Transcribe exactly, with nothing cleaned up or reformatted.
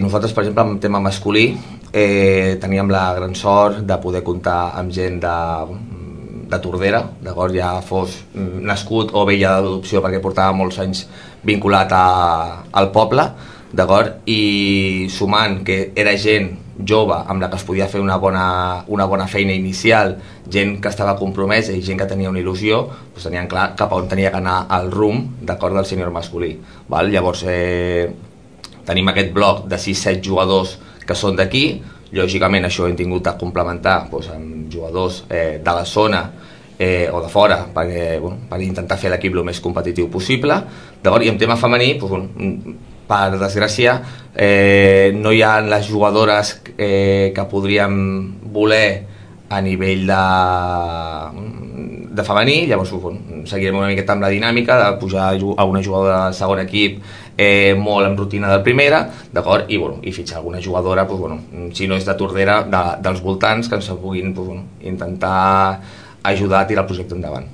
Nosaltres, per exemple, en tema masculí, eh, teníem la gran sort de poder comptar amb gent de, de Tordera, d'acord, ja fos nascut o veia d'adopció perquè portava molts anys vinculat a, al poble, d'acord, i sumant que era gent jove amb la que es podia fer una bona, una bona feina inicial, gent que estava compromesa i gent que tenia una il·lusió, doncs tenien clar cap a on tenia que anar el rumb, d'acord, del sènior masculí. Val? Llavors, eh, tenim aquest bloc de sis set jugadors que són d'aquí. Lògicament això hem tingut de complementar doncs, amb jugadors eh, de la zona eh, o de fora perquè, bueno, per intentar fer l'equip el més competitiu possible. I en tema femení, doncs, bueno, per desgràcia, eh, no hi ha les jugadores eh, que podríem voler a nivell de, de femení. Llavors bueno, seguirem una miqueta amb la dinàmica de pujar a una jugadora de segon equip eh, molt en rutina del primera, d'acord, i, bueno, i fitxar alguna jugadora, doncs, bueno, si no és de Tordera, de, dels voltants, que ens puguin doncs, bueno, intentar ajudar a tirar el projecte endavant.